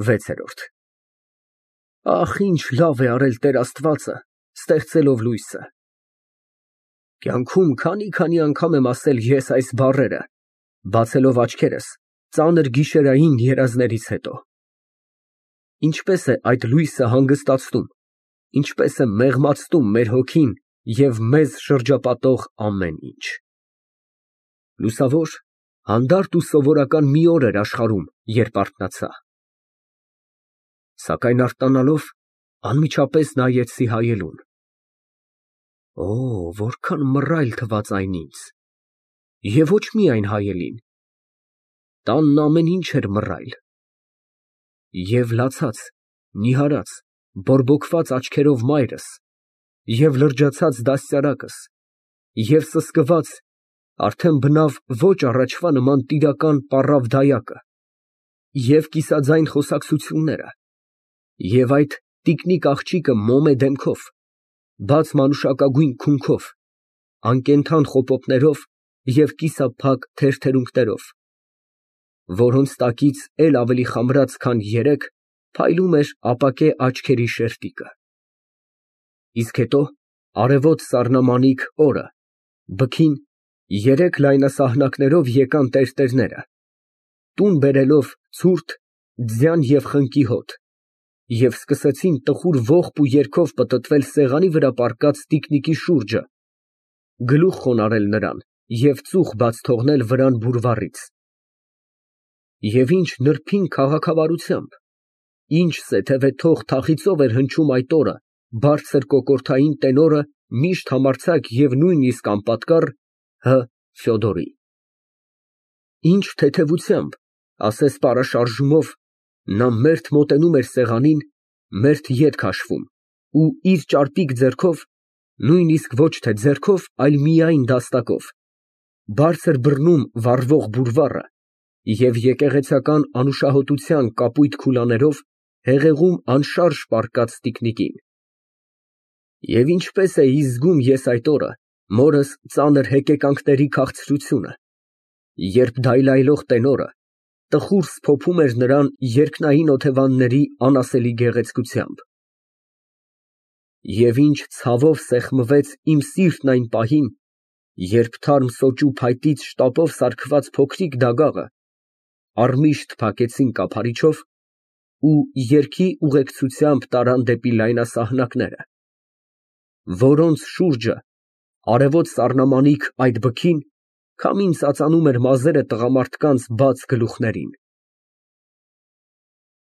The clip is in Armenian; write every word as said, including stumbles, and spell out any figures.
վեցերորդ Ախ, ինչ լավ է արել Տեր Աստվածը, ստեղծելով լույսը։ Կյանքում քանի֊քանի անգամ եմ ասել ես այս բառերը, բացելով աչքերս ծանր գիշերային երազներից հետո։ Ինչպես է այդ լույսը հանգստացնում, ինչպես է մեղմացնում մեր հոգին և մեզ շրջապատող ամեն ինչ։ Լուսավոր, հանդարտ ու սովորական մի օր էր աշխարհում, երբ արթնացա։ Սակայն արթնանալով անմիջապես նայեցի հայելուն։ Օ, որքան մռայլ թվաց այն ինձ, և ոչ միայն հայելին, տանն ամեն ինչ էր մռայլ, և լացած, նիհարած, բորբոքված աչքերով մայրս, և լրջացած դաստիարակս, և սսկված, արդեն բնավ ոչ առաջվա նման տիրական պառավ֊դայակը, և կիսաձայն խոսակցությունները, և այդ տիկնիկ աղջիկը մոմե դեմքով, բաց մանուշակագույն քունքով, անկենդան խոպոպներով և կիսափակ թերթերունքներով, որոնց տակից էլ ավելի խամրած, քան երեկ, փայլում էր ապակե աչքերի շերտիկը։ Իսկ հետո արևոտ սառնամանիք օրը, բքին, երեք լայնասահնակներով եկան տերտերները, տուն բերելով ցուրտ, ձյան և խնկի հոտ, և սկսեցին տխուր ողբ ու երգով պտտվել սեղանի վրա պառկած տիկնիկի շուրջը, գլուխ խոնարհել նրան և ծուխ բաց թողնել վրան բուրվառից։ Եվ ինչ նրբին քաղաքավարությամբ, ինչ սեթևե թող թախիծով էր հնչում այդ օրը բարձր կոկորդային տենորը միշտ համարձակ և նույնիսկ անպատկառ Հ. Ֆյոդորի։ Ինչ թեթևությամբ, ասես պարաշարժումով, նա մերթ մոտենում էր սեղանին, մերթ ետ քաշվում ու իր ճարպիկ ձեռքով, նույնիսկ ոչ թե ձեռքով, այլ միայն դաստակով, բարձր բռնում վառվող բուրվառը և եկեղեցական անուշահոտության կապույտ քուլաներով հեղեղում անշարժ պառկած տիկնիկին։ Եվ ինչպես էի զգում ես այդ օրը մորս ծանր հեկեկանքների քաղցրությունը, երբ դայլայլող տենորը տխուր սփոփում էր նրան երկնային օթևանների անասելի գեղեցկությամբ։ Եվ ինչ ցավով սեղմվեց իմ սիրտն այն պահին, երբ թարմ սոճու փայտից շտապով սարքված փոքրիկ դագաղը առմիշտ փակեցին կափարիչով ու երգի ուղեկցությամբ տարան դեպի լայնասահնակները, որոնց շուրջը, արևոտ սառնամանիք այդ բքին, քամին ծածանում էր մազերը տղամարդկանց բաց գլուխներին։